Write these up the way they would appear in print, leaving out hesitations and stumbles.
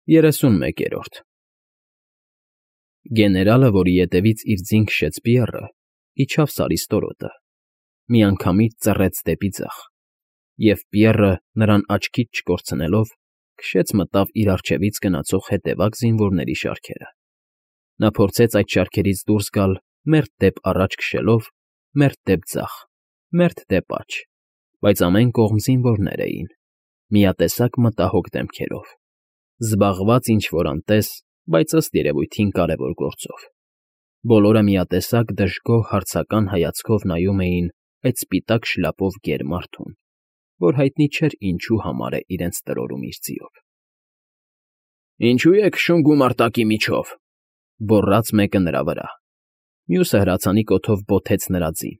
31-րդ Գեներալը, որի ետևից իր ձին քշեց Պիեռը, իջավ Սարի ստորոտը, միանգամից ծռեց դեպի ձախ, և Պիեռը, նրան աչքից չկորցնելով, քշեց մտավ իր առջևից գնացող հետևակ զինվորների շարքերը. նա փորձեց այդ շարքերից դուրս գալ մերթ դեպ առաջ քշելով, մերթ դեպ ձախ, մերթ դեպ աջ, բայց ամեն կողմ զինվորներ էին, միատեսակ մտահոգ դեմքերով, զբաղված ինչ֊որ անտես, բայց ըստ երևույթին կարևոր գործով. բոլորը միատեսակ դժգոհ հարցական հայացքով նայում էին այդ սպիտակ շլապով գեր մարդուն, որ հայտնի չէր ինչու համար է իրենց տրորում իր ձիով։ «Ինչո՞ւ եք քշում գումարտակի միջով», գոռաց մեկը նրա վրա, մյուսը հրացանի կոթով բոթեց նրա ձին,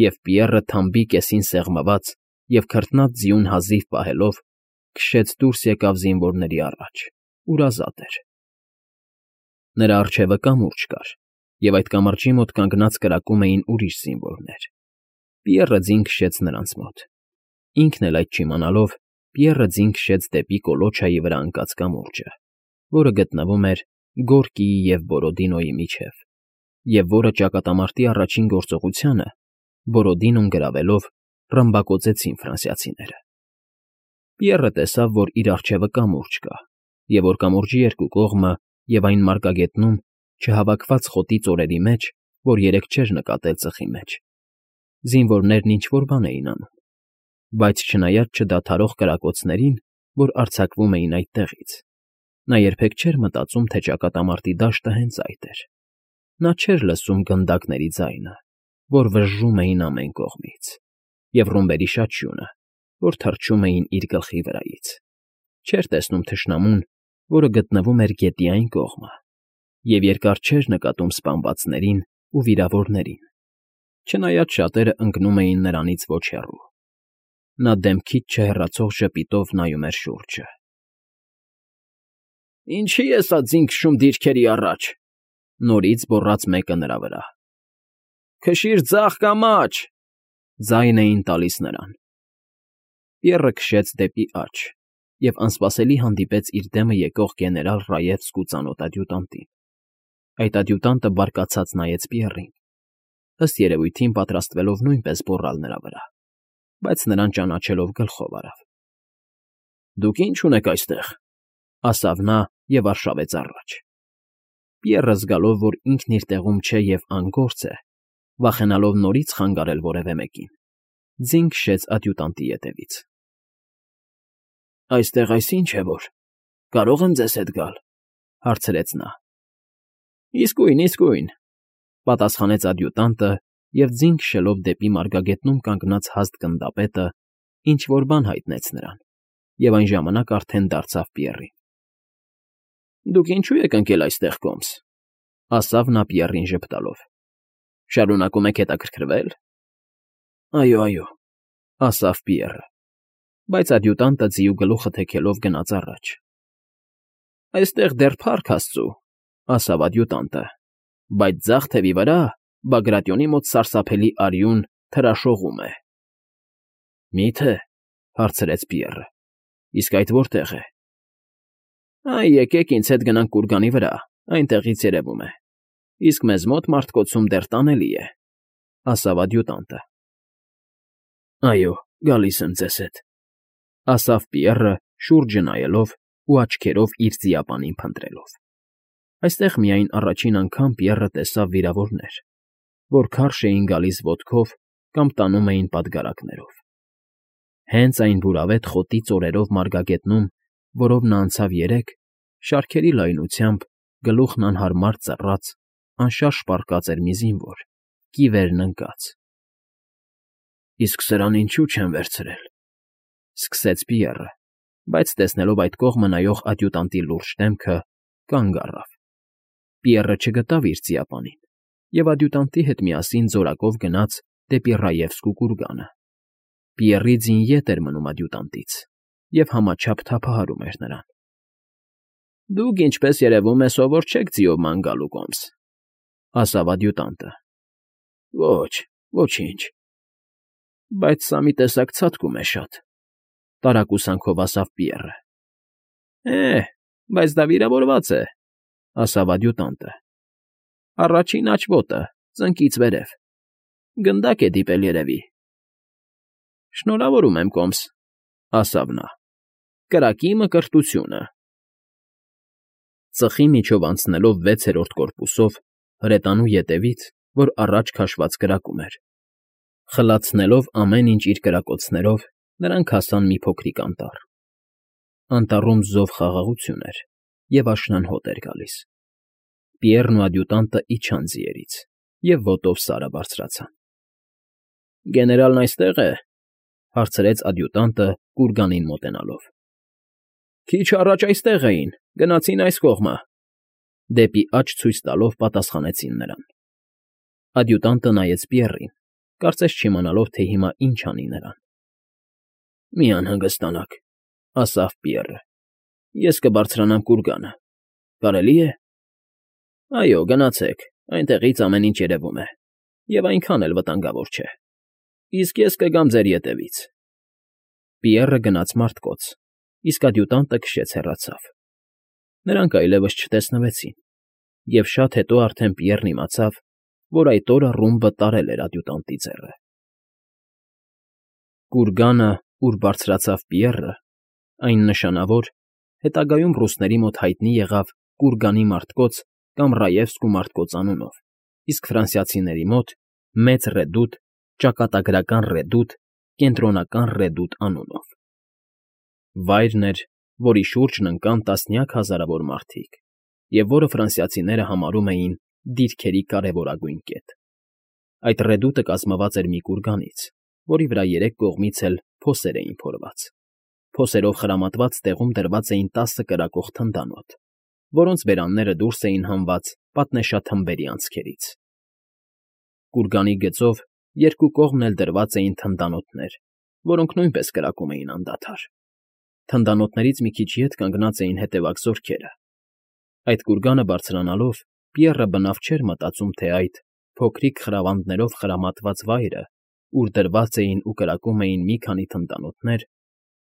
և Պիեռը թամբի կեսին սեղմված և քրտնած ձիուն հազիվ պահելով քշեց դուրս եկավ զինվորների առաջ, ուր ազատ էր։ Նրա առջևը կամուրջ կար, և այդ կամրջի մոտ կանգնած կրակում էին ուրիշ զինվորներ։ Պիեռը ձին քշեց նրանց մոտ։ Ինքն էլ այդ չիմանալով, Պիեռը ձին քշեց դեպի կոլոչայի վրա ընկած կամուրջը, որը գտնվում էր Գորկիի և Բորոդինոյի միջև, և որը ճակատամարտի առաջին գործողությանը, Բորոդինոն գրավելով, ռմբակոծեցին ֆրանսիացիները։ Պիեռը տեսավ, որ իր առջևը կամուրջ կա, և որ կամուրջի երկու կողմը և այն մարգագետնում չհավաքված խոտի ծորերի մեջ, որ երեկ չէր նկատել ծխի մեջ, զինվորներն ինչ֊որ բան էին անում, բայց չնայած չդադարող կրակոցներին, որ արձակվում էին այդտեղից, նա երբեք չէր մտածում, թե ճակատամարտի դաշտը հենց այդ էր. նա չէր լսում գնդակների ձայնը, որ վժժում էին ամեն կողմից, և ռումբերի շաչյունը, որ թռչում էին իր գլխի վրայից, չէր տեսնում թշնամուն, որը գտնվում էր գետի այն կողմը, և երկար չէր նկատում սպանվածներին ու վիրավորներին, չնայած շատերը ընկնում էին նրանից ոչ հեռու։ Նա դեմքից չհեռացող ժպիտով նայում էր շուրջը։ «Ինչի՞ է սա ձին քշում դիրքերի առաջ», նորից գոռաց մեկը նրա վրա։ «Քշիր ձախ կամ աջ», ձայն էին տալիս նրան։ Պիեռը քշեց դեպի աջ և անսպասելի հանդիպեց իր դեմը եկող գեներալ Ռաևսկու ծանոթ ադյուտանտին։ Այդ ադյուտանտը բարկացած նայեց Պիեռին, ըստ երևույթին պատրաստվելով նույնպես գոռալ նրա վրա, բայց նրան ճանաչելով գլխով արավ։ «Դուք ի՞նչ ունեք այստեղ», ասավ նա և արշավեց առաջ։ Պիեռը զգալով, որ ինքն իր տեղում չէ և անգործ է, վախենալով նորից խանգարել որևէ մեկին, ձին քշեց ադյուտանտի ետևից։ «Այստեղ այս ի՞նչ է որ, կարո՞ղ եմ ձեզ հետ գալ», հարցրեց նա։ Իսկույն, պատասխանեց ադյուտանտը և ձին քշելով դեպի մարգագետնում կանգնած հաստ գնդապետը ինչ֊որ բան հայտնեց նրան, և այն ժամանակ արդեն դարձավ Պիեռին։ «Դուք ինչո՞ւ եք ընկել այստեղ կոմս», ասավ նա Պիեռին ժպտալով։ «Շարունակում եք հետաքրքրվել»։ «Այո», ասավ Պիեռը, բայց ադյուտանտը ձիու գլուխը թեքելով գնաց առաջ։ «Այստեղ դեռ փառք աստծու», ասավ ադյուտանտը, «բայց ձախ թևի վրա, Բագրատիոնի մոտ սարսափելի արյուն թրաշողում է»։ «Մի՞թե», հարցրեց Պիեռը, «իսկ այդ որտեղ է»։ «Այ եկեք ինձ հետ գնանք կուրգանի վրա, այնտեղից երևում է, իսկ մեզ մոտ մարդկոցում դեռ տանելի է», ասավ ադյուտանտը։ «Այո, գալիս եմ ձեզ հետ», ասավ Պիեռը շուրջը նայելով ու աչքերով իր ձիապանին փնտրելով։ Այստեղ միայն առաջին անգամ Պիեռը տեսավ վիրավորներ, որ քարշ էին գալիս ոտքով կամ տանում էին պատգարակներով։ Հենց այն բուրավետ խոտի ծորերով մարգագետնում, որով նա անցավ երեկ, շարքերի լայնությամբ, գլուխն անհարմար ծռած, անշարժ պառկած էր մի զինվոր, կիվերն ընկած։ «Իսկ սրան ինչու չեն վերցրել», սկսեց Պիեռը, բայց տեսնելով այդ կողմը նայող ադյուտանտի լուրջ դեմքը, կանգ առավ։ Պիեռը չգտավ իր ձիապանին և ադյուտանտի հետ միասին զորակով գնաց դեպի Ռաևսկու կուրգանը։ Պիեռի ձին ետ էր մնում ադյուտանտից և համաչափ թափահարում էր նրան։ «Դուք, ինչպես երևում է, սովոր չեք ձիով ման գալու կոմս», ասավ ադյուտանտը։ «Ոչ, ոչինչ»։ «Բայց սա մի տեսակ ցատկում է շատ», տարակուսանքով ասավ Պիեռը։ Բայց դա վիրավորված է, ասավ ադյուտանտը։ Առաջին աջ ոտը, ծնկից վերև, գնդակ է դիպել երևի։ Շնորհավորում եմ, կոմս, ասավ նա, կրակի մկրտությունը։ Ծխի միջով անցնելով 6-րդ կորպուսով, հրետանու ետևից, որ առաջ քաշված կրակում էր, խլացնելով ամեն ինչ իր կրակոցներով, նրանք հասան մի փոքրիկ անտառ։ Անտառում զով խաղաղություն էր և աշնան հոտ էր գալիս։ Պիեռն ու ադյուտանտը իջան ձիերից և ոտով Սարը բարձրացան։ ֊ Գեներալն այստե՞ղ է,֊ հարցրեց ադյուտանտը կուրգանին մոտենալով։ ֊ Քիչ առաջ այստեղ էին, գնացին այս կողմը,֊ դեպի աջ ցույց տալով պատասխանեցին նրան։ Ադյուտանտը նայեց Պիեռին, կարծես չիմանալով, թե հիմա ինչ անի նրան։ ֊ Մի անհանգստանաք,֊ ասավ Պիեռը,֊ ես կբարձրանամ կուրգանը, կարելի է։ ֊ Այո, գնացեք, այնտեղից ամեն ինչ երևում է, և այնքան էլ վտանգավոր չէ։ Իսկ ես կգամ ձեր ետևից։ Պիեռը գնաց մարդկոց, իսկ ադյուտանտը քշեց հեռացավ։ Նրանք այլևս չտեսնվեցին, և շատ հետո արդեն Պիեռն իմացավ, որ այդ օրը ռումբը տարել էր ադյուտանտի ձեռը։ Կուրգանը, ուր բարձրացավ Պիեռը, այն նշանավոր, հետագայում ռուսների մոտ հայտնի եղավ Կուրգանի մարտկոց կամ Ռաևսկու մարտկոց անունով, իսկ ֆրանսիացիների մոտ Մեծ Ռեդութ, ճակատագրական Ռեդութ, Կենտրոնական Ռեդութ անունով։ Վայրն էր, որի շուրջն ընկան տասնյակ հազարավոր մարդիկ, և որը ֆրանսիացիները համարում էին դիրքերի կարևորագույն կետ։ Այդ Ռեդութը կազմված էր մի կուրգանից, որի վրա երեք կողմից էլ փոսեր էին փորված։ Փոսերով խրամատված տեղում դրված էին 10 կրակող թնդանոթ, որոնց բերանները դուրս էին հանված պատնեշաթմբերի անցքերից։ Կուրգանի գծով երկու կողմն էլ դրված էին թնդանոթներ, որոնք նույնպես կրակում էին անդադար։ Թնդանոթներից մի քիչ ետ կանգնած էին հետևակ զորքերը։ Այդ կուրգանը բարձրանալով Պիեռը բնավ չէր մտածում, թե այդ փոքրիկ խրավանդներով խրամատված վայրը, ուր դրված էին ու կրակում էին մի քանի թնդանոթներ,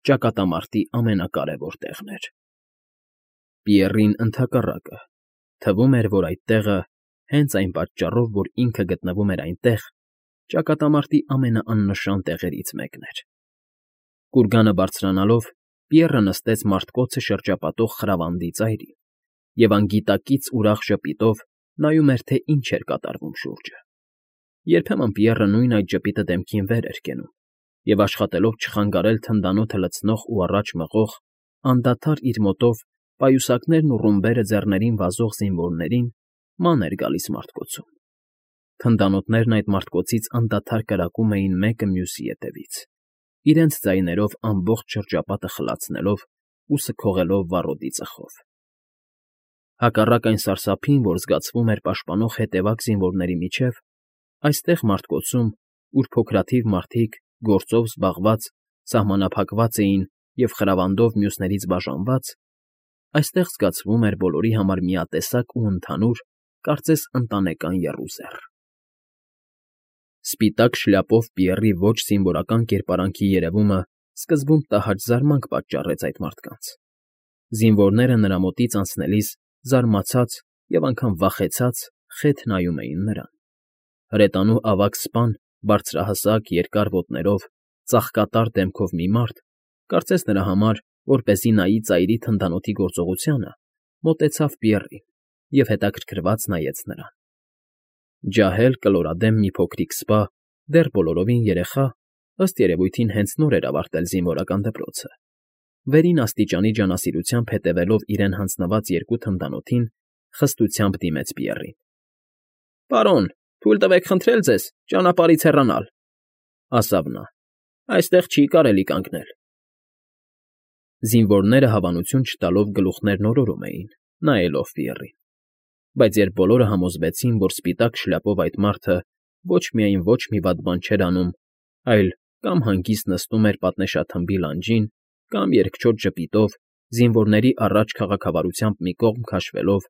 ճակատամարտի ամենակարևոր տեղն էր։ Պիեռին, ընդհակառակը, թվում էր, որ այդ տեղը, հենց այն պատճառով, որ ինքը գտնվում էր այնտեղ, ճակատամարտի ամենաաննշան տեղերից մեկն էր։ Կուրգանը բարձրանալով Պիեռը նստեց մարտկոցը շրջապատող խրավանդի ծայրին և անգիտակից ուրախ ժպիտով նայում էր, թե ինչ էր կատարվում շուրջը։ Երբեմն Պիեռը նույն այդ ժպիտը դեմքին վեր էր կենում և, աշխատելով չխանգարել թնդանոթը լցնող ու առաջ մղող, անդադար իր մոտով պայուսակներն ու ռումբերը ձեռներին վազող զինվորներին, ման էր գալիս մարտկոցում։ Թնդանոթներն այդ մարտկոցից անդադար կրակում էին մեկը մյուսի ետևից, իրենց ձայներով ամբողջ շրջապատը խլացնելով ու սքողելով վառոդի ծխով։ Հակառակ այն սարսափին, որ զգացվում էր պաշտպանող հետևակ զինվորների միջև, այստեղ մարտկոցում, ուր փոքրաթիվ մարդիկ, գործով զբաղված, սահմանափակված էին և խրավանդով մյուսներից բաժանված, այստեղ զգացվում էր բոլորի համար միատեսակ ու ընդհանուր, կարծես ընտանեկան եռուզեռ։ Սպիտակ շլյապով Պիեռի ոչ զինվորական կերպարանքի երևումը սկզբում տհաճ զարմանք պատճառեց այդ մարդկանց։ Զինվորները նրա մոտից անցնելիս զարմացած և անգամ վախեցած խեթ նայում էին նրան։ Հրետանու ավագ սպան, բարձրահասակ, երկար ոտներով, ծաղկատար դեմքով մի մարդ, կարծես նրա համար, որպեսզի նայի ծայրի թնդանոթի գործողությանը, մոտեցավ Պիեռին և հետաքրքրված նայեց նրան։ Ջահել կլորադեմ մի փոքրիկ սպա, դեռ բոլորովին երեխա, ըստ երևույթին հենց նոր էր ավարտել զինվորական դպրոցը, վերին աստիճանի ջանասիրությամբ հետևելով իրեն հանձնված երկու թնդանոթին, խստությամբ դիմեց Պիեռին։ ֊ Պարոն, թույլ տվեք խնդրել ձեզ ճանապարհից հեռանալ,֊ ասավ նա,֊ այստեղ չի կարելի կանգնել։ Զինվորները հավանություն չտալով գլուխներն օրորում էին, նայելով Պիեռին։ Բայց երբ բոլորը համոզվեցին, որ սպիտակ շլյապով այդ մարդը ոչ միայն ոչ մի վատ բան չէր անում, այլ կամ հանգիստ նստում էր պատնեշաթմբի լանջին, կամ երկչոտ ժպիտով, զինվորների առաջ քաղաքավարությամբ մի կողմ քաշվելով,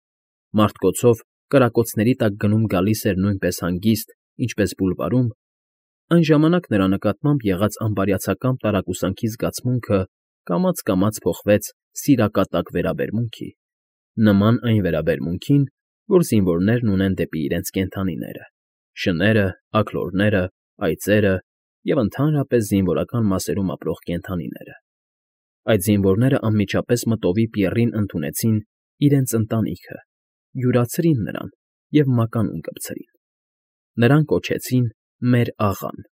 մարտկոցով կրակոցների տակ գնում֊գալիս էր նույնպես հանգիստ, ինչպես բուլվարում, այն ժամանակ նրա նկատմամբ եղած անբարյացակամ տարակուսանքի զգացմունքը կամաց փոխվեց սիրակատակ վերաբերմունքի, նման այն վերաբերմունքին, որ զինվորներն ունեն դեպի իրենց կենդանիները, շները, աքլորները, այծերը և ընդհանրապես զինվորական մասերում ապրող կենդանիները։ Այդ զինվորները անմիջապես մտովի Պիեռին ընդունեցին իրենց ընտանիքը, յուրացրին նրան և մականուն կպցրին։ Նրան կոչեցին «Մեր աղան»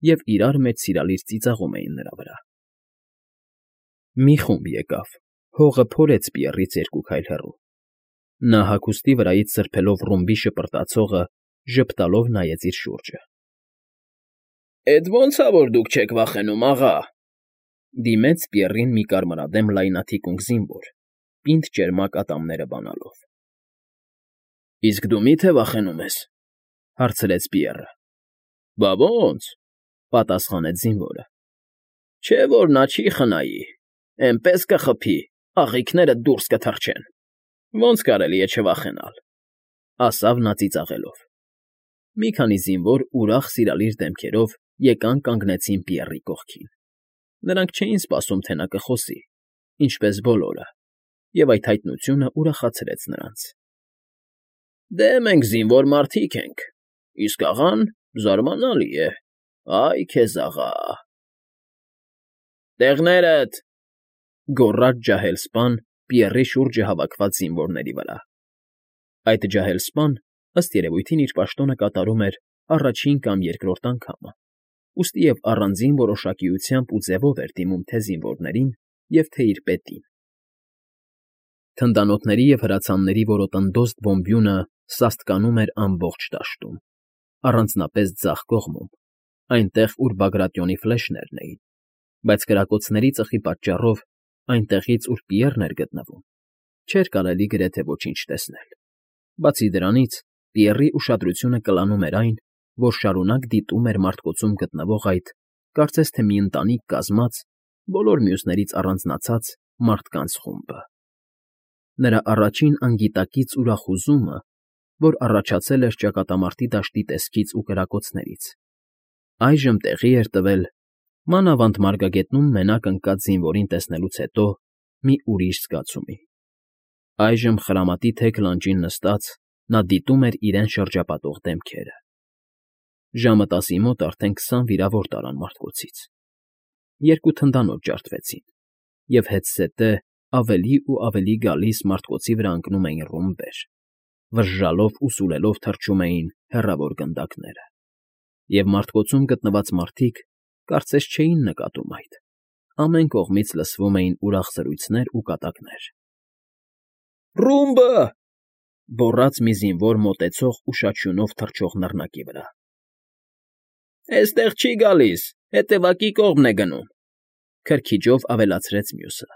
և իրար մեջ սիրալիր ծիծաղում էին նրա վրա։ Մի խումբ եկավ, հողը փորեց Պիեռից 2 քայլ հեռու։ Նա հագուստի վրայից սրբելով ռումբի շպրտացողը ժպտալով նայեց իր շուրջը։ «Էդ ո՞նց ա, որ դուք չեք վախենում, աղա», դիմեց Պիեռին մի կարմրադեմ լայնաթիկունք զինվոր, պինդ ճերմակ ատամները բանալով։ «Իսկ դու մի՞թե վախենում ես», հարցրեց Պիեռը։ «Բա ո՜նց», պատասխանեց զինվորը։ «Չէ՞ որ նա չի խնայի, էնպես կխփի, աղիքներդ դուրս կթռչեն, ոնց կարելի է չվախենալ», ասավ նա ծիծաղելով։ Մի քանի զինվոր ուրախ սիրալիր դեմքերով եկան կանգնեցին Պիեռի կողքին։ Նրանք չէին սպասում, թե նա կխոսի, ինչպես բոլորը, և այդ հայտնությունը ուրախացրեց նրանց։ «Դե մենք զինվոր մարդիկ ենք, իսկ աղան զարմանալի է, այ քեզ աղա»։ «Տեղնե՜րդ», գոռաց ջահել սպան Պիեռի շուրջը հավաքված զինվորների վրա։ Այդ ջահել սպան, ըստ երևույթին, իր պաշտոնը կատարում էր առաջին կամ երկրորդ անգամը, ուստի և առանձին որոշակիությամբ ու ձևով էր դիմում թե զինվորներին և թե իր պետին։ Թնդանոթների և հրացանների որոտնդոստ բոմբյունը սաստկանում էր ամբողջ դաշտում, առանձնապես ձախ կողմում, այնտեղ, ուր Բագրատիոնի ֆլեշներն էին, բայց կրակոցների ծխի պատճառով այնտեղից, ուր Պիեռն էր գտնվում, չէր կարելի գրեթե ոչինչ տեսնել։ Բացի դրանից, Պիեռի ուշադրությունը կլանում էր այն, որ շարունակ դիտում էր մարտկոցում գտնվող այդ, կարծես թե մի ընտանիք կազմած, բոլոր մյուսներից առանձնացած մարդկանց խումբը։ Նրա առաջին անգիտակից ուրախուզումը, որ առաջացել էր ճակատամարտի դաշտի տեսքից ու կրակոցներից, այժմ տեղի էր տվել, մանավանդ մարգագետնում մենակ ընկած զինվորին տեսնելուց հետո, մի ուրիշ զգացումի։ Այժմ խրամատի թեք լանջին նստած՝ նա դիտում էր իրեն շրջապատող դեմքերը։ Ժամը 10-ի մոտ արդեն 20 վիրավոր տարան մարտկոցից։ 2 թնդանոթ ջարդվեցին, և հետզհետե ավելի ու ավելի գալիս մարտկոցի վրա ընկնում էին ռումբեր, վժժալով ու սուլելով թռչում էին հեռավոր գնդակները, և մարտկոցում գտնված մարդիկ կարծես չէին նկատում այդ, ամեն կողմից լսվում էին ուրախ զրույցներ ու կատակներ։ «Ռումբը», գոռաց մի զինվոր մոտեցող ու շաչյունով թռչող նռնակի վրա։ «Էստեղ չի գալիս, հետևակի կողմն է գնում», քրքիջով ավելացրեց մյուսը,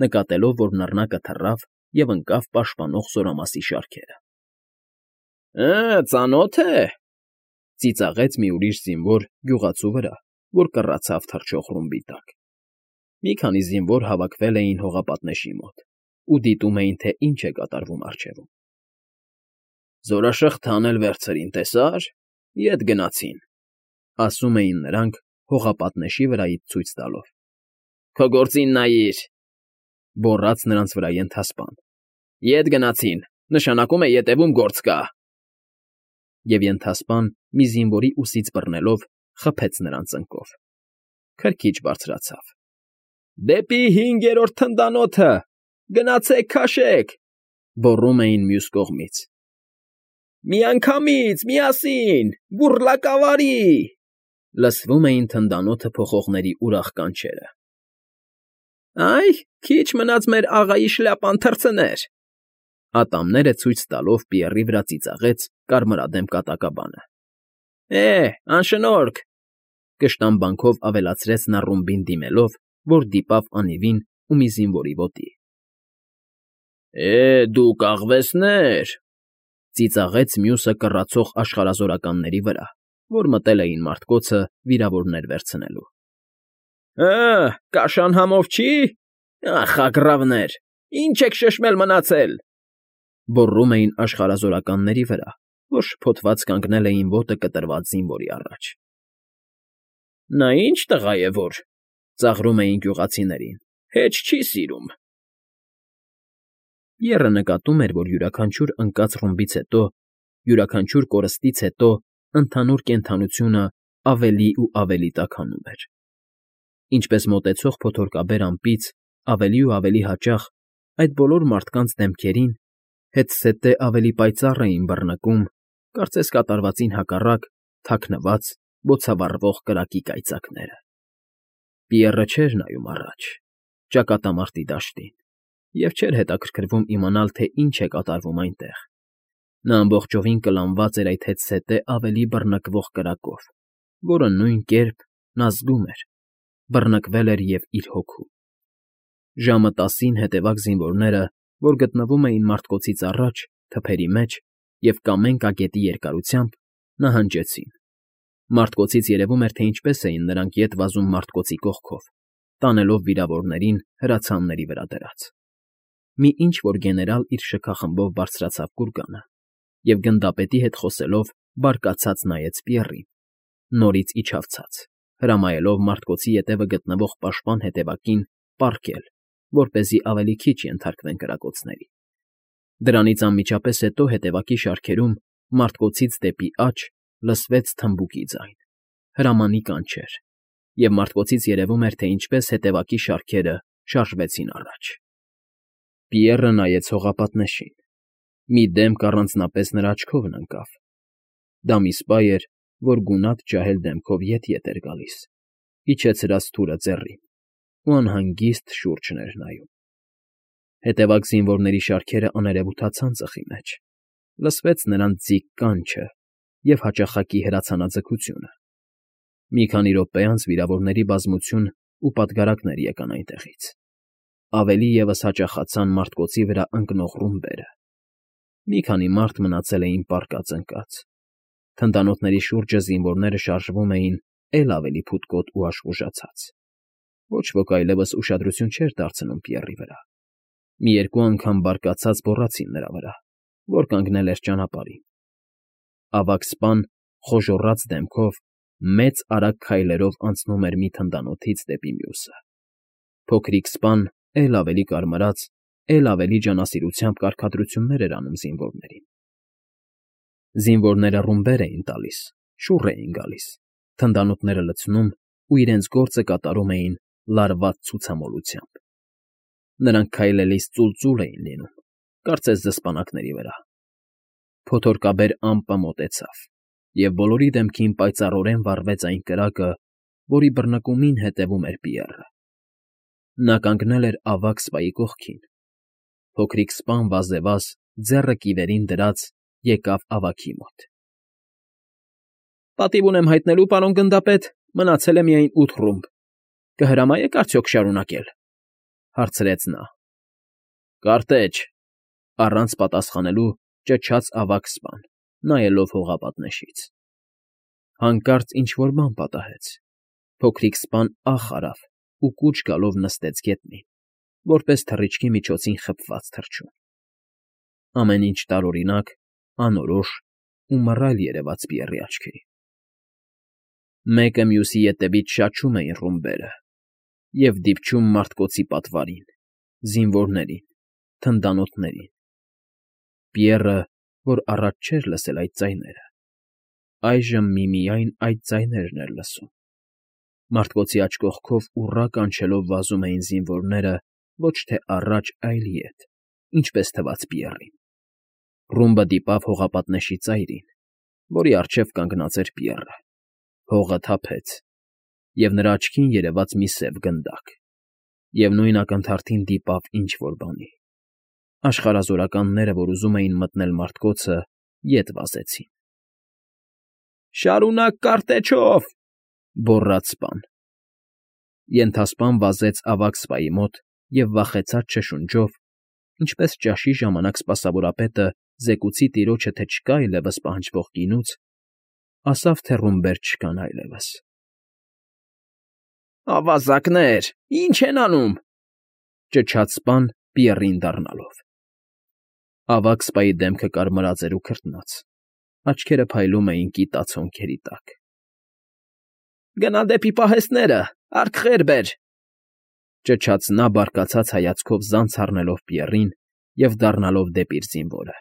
նկատելով, որ նռնակը թռավ և ընկավ պաշտպանող զորամասի շարքերը։ Ծանո՞թ է», ծիծաղեց մի ուրիշ զինվոր գյուղացու վրա, որ կռացավ թռչող ռումբի տակ։ Մի քանի զինվոր հավաքվել էին հողապատնեշի մոտ ու դիտում էին, թե ինչ է կատարվում առջևում։ «Զորաշղթան էլ վերցրին, տեսա՞ր, ետ գնացին», ասում էին նրանք հողապատնեշի վրայից ցույց տալով։ «Քո գործին նայիր», գոռաց նրանց վրա ենթասպան։ «Ետ գնացին, նշանակում է ետևում գործ կա»։ Եվ ենթասպան մի զինվորի ուսից բռնելով խփեց նրան ծնկով։ Քրքիջ բարձրացավ։ «Դեպի 5-րդ թնդանոթը, գնացեք քաշեք», գոռում էին մյուս կողմից։ «Միանգամից, միասին, բուռլակավարի», լսվում էին թնդանոթը փոխողների ուրախ կանչերը։ «Այ, քիչ մնաց մեր աղայի շլյապան թռցներ», ատամները ցույց տալով Պիեռի վրա ծիծաղեց կարմրադեմ կատակաբանը։ Անշնորհք, կշտամբանքով ավելացրեց նա ռումբին դիմելով, որ դիպավ անիվին ու մի զինվորի ոտի։ Դուք աղվեսներ, ծիծաղեց մյուսը կռացող աշխարհազորականների վրա, որ մտել էին մարտկոցը վիրավորներ վերցնելու։ Կաշան համով չի։ Ախ, ինչ եք շշմել մնացել, գոռում էին աշխարհազորականների վրա, որ շփոթված կանգնել էին ոտը կտրված զինվորի առաջ։ Նա ինչ տղա է, որ, ծաղրում էին գյուղացիներին, Հեչ չի սիրում։ Պիեռը նկատում էր, որ յուրաքանչյուր ընկած ռումբից հետո, յուրաքանչյուր կորստից հետո ընդհանուր կենդանությունը ավելի ու ավելի տաքանում էր. ինչպես մոտեցող փոթորկաբեր ամպից ավելի ու ավելի հաճախ այդ բոլոր մարդկանց դեմքերին հետզհետե ավելի պայծառ էին բռնկում, կարծես կատարվածին հակառակ, թաքնված, բոցավառվող կրակի կայծակները։ Պիեռը չէր նայում առաջ, ճակատամարտի դաշտին, և չէր հետաքրքրվում իմանալ, թե ինչ է կատարվում այնտեղ։ Նա ամբողջովին կլանված էր այդ հետզհետե ավելի բռնկվող կրակով, որը նույն կերպ, նա զգում էր, բռնկվել էր և իր հոգում։ Ժամը 10-ին հետևակ զինվորները, որ գտնվում էին մարտկոցից առաջ, թփերի մեջ և կամեն-կագետի երկարությամբ, նահանջեցին։ Մարտկոցից երևում էր, թե ինչպես էին նրանք ետ վազում մարտկոցի կողքով, տանելով վիրավորներին հրացանների վրա դրած։ Մի ինչ֊որ գեներալ իր շքախմբով բարձրացավ կուրկանը և գնդապետի հետ խոսելով բարկացած նայեց Պիեռին, նորից իջավ ցած, հրամայելով մարտկոցի ետևը գտնվող պաշտպան հետևակին պառկել, որպեսզի ավելի քիչ ենթարկվեն կրակոցների։ Դրանից անմիջապես հետո հետևակի շարքերում, մարտկոցից դեպի աջ, լսվեց թմբուկի ձայն, հրամանի կանչեր, և մարտկոցից երևում էր, թե ինչպես հետևակի շարքերը շարժվեցին առաջ։ Պիեռը նայեց հողապատնեշին։ Մի դեմք առանձնապես նրա աչքովն ընկավ։ Դա մի սպա էր, որ գունատ ջահել դեմքով ետ էր գալիս, իջեցրած թուրը ձեռին, ու անհանգիստ շուրջն էր նայում։ Հետևակ զինվորների շարքերը աներևութացան ծխի մեջ, լսվեց նրանց ձիգ կանչը և հաճախակի հրացանաձգությունը։ Մի քանի րոպե անց վիրավորների բազմություն ու պատգարակներ եկան այնտեղից։ Ավելի ևս հաճախացան մարտկոցի վրա ընկնող ռումբերը։ Մի քանի մարդ մնացել էին պառկած ընկած։ Թնդանոթների շուրջը զինվորները շարժվում էին էլ ավելի փութկոտ ու աշխուժացած։ Ոչ ոք այլևս ուշադրություն չէր դարձնում Պիեռի վրա։ Մի երկու անգամ բարկացած գոռացին նրա վրա, որ կանգնել էր ճանապարհին։ Ավագ սպան խոժոռաց դեմքով մեծ արագ քայլերով անցնում էր մի թնդանոթից դեպի մյուսը։ Փոքրիկ սպան էլ ավելի կարմրած, էլ ավելի ջանասիրությամբ կարգադրություններ էր անում զինվորներին։ Զինվորները ռումբեր էին տալիս, շուռ էին գալիս, թնդանոթները լցնում ու իրենց գործը կատարում էին լարված ցուցամոլությամբ։ Նրանք քայլելիս ծուլծուլ էին լինում, կարծես դսպանակների վրա։ Փոթորկաբեր ամպը մոտեցավ, և բոլորի դեմքին պայծառորեն վառվեց այն կրակը, որի բռնկումին հետևում էր Պիեռը։ Նա կանգնել էր ավագ սպայի կողքին։ Փոքրիկ սպան վազևազ, ձեռը կիվերին դրած, եկավ ավագի մոտ։ Պատիվ ունեմ հայտնելու, պարոն գնդապետ, մնացել է միայն 8 ռումբ։ Կհրամայե՞ք արդյոք շարունակել,֊ հարցրեց նա։ Կարտեջ,֊ առանց պատասխանելու ճչաց ավագ սպան, նայելով հողապատնեշից։ Հանկարծ ինչ֊որ բան պատահեց։ Փոքրիկ սպան ախ արավ ու կուչ գալով նստեց գետնին, որպես թռիչքի միջոցին խփված թռչուն։ Ամեն ինչ տարօրինակ, անորոշ ու մռայլ երևաց Պիեռի աչքերին։ Մեկը մյուսի ետևից շաչում էին ռումբերը և դիպչում մարտկոցի պատվարին, զինվորներին, թնդանոթներին։ Պիեռը, որ առաջ չէր լսել այդ ձայները, այժմ միմիայն այդ ձայներն էր լսում։ Մարտկոցի աջ կողքով ուռա կանչելով վազում էին զինվորները ոչ թե առաջ, այլ ետ, ինչպես թվաց Պիեռին։ Ռումբը դիպավ հողապատնեշի ծայրին, որի առջև կանգնած էր Պիեռը։ Հողը թափեց, և նրա աչքին երևաց մի սև գնդակ, և նույն ակնթարթին դիպավ ինչ֊որ բանի։ Աշխարհազորականները, որ ուզում էին մտնել մարտկոցը, ետ վազեցին։ Շարունակ կարտեջով,֊ գոռաց սպան։ Ենթասպան վազեց ավագ սպայի մոտ և վախեցած շշունջով, ինչպես ճաշի ժամանակ սպասավորապետը զեկուցի տիրոջը, թե չկա այլևս պահանջվող գինուց, ասավ, թե ռումբեր չկան այլևս։ Ավազակներ, ի՞նչ են անում,֊ ճչաց սպան Պիեռին դառնալով։ Ավագ սպայի դեմքը կարմրած էր ու քրտնած, աչքերը փայլում էին կիտաց հոնքերի տակ։ Գնա դեպի պահեստները, արկղեր բեր,֊ Ճչաց նա բարկացած հայացքով զանց առնելով Պիեռին և դառնալով դեպի իր զինվորը։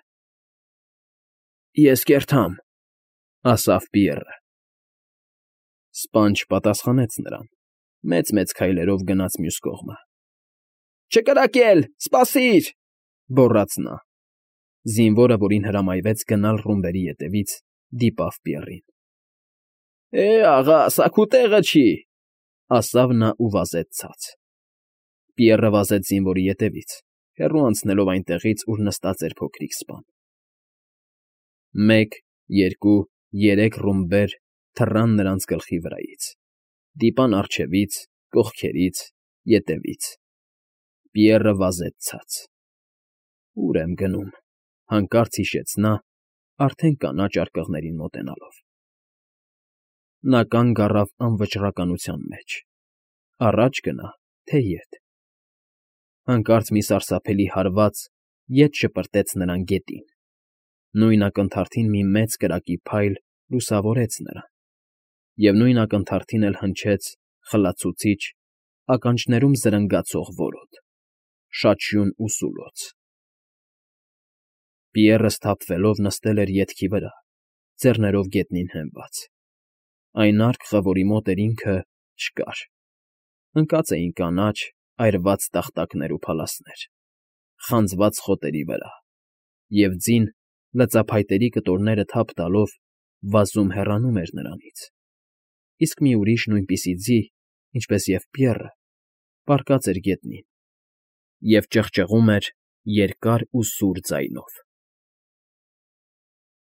Ես կերթամ, ասավ Պիեռը։ Սպան չպատասխանեց նրան, մեծ-մեծ քայլերով գնաց մյուս կողմը։ Չկրակել, սպասիր, գոռաց նա։ Զինվորը, որին հրամայվեց գնալ ռումբերի ետևից, դիպավ Պիեռին։ Աղա, սա քո տեղը չի, ասավ նա ու վազեց ցած։ Պիեռը վազեց զինվորի ետևից, հեռու անցնելով այնտեղից, ուր նստած էր փոքրիկ սպան։ 1, 2, 3 ռումբեր թռան նրանց գլխի վրայից, դիպան առջևից, կողքերից, ետևից։ Պիեռը վազեց ցած։ Ուր եմ գնում, հանկարծ հիշեց նա, արդեն կանաչ արկղներին մոտենալով։ Նա կանգ առավ անվճռականության մեջ։ Առաջ գնա, թե ետ։ Հանկարծ մի սարսափելի հարված ետ շպրտեց նրան գետին։ Նույն ակնթարթին մի մեծ կրակի փայլ լուսավորեց նրան, և նույն ակնթարթին էլ հնչեց խլացուցիչ, ականջներում զրնգացող որոտ, շաչյուն ու սուլոց։ Պիեռը սթափվելով նստել էր ետքի վրա, ձեռներով գետնին հենված։ Այն արկղը, որի մոտ էր ինքը, չկար։ Ընկած էին կանաչ, այրված տախտակներ ու փալասներ, խանձված խոտերի վրա, և ձին, լծափայտերի կտորները թափ տալով, վազում հեռանում էր նրանից։ Իսկ մի ուրիշ նույնպիսի ձի, ինչպես և Պիեռը, պառկած էր գետնին և ճղճղում էր երկար ու սուր ձայնով։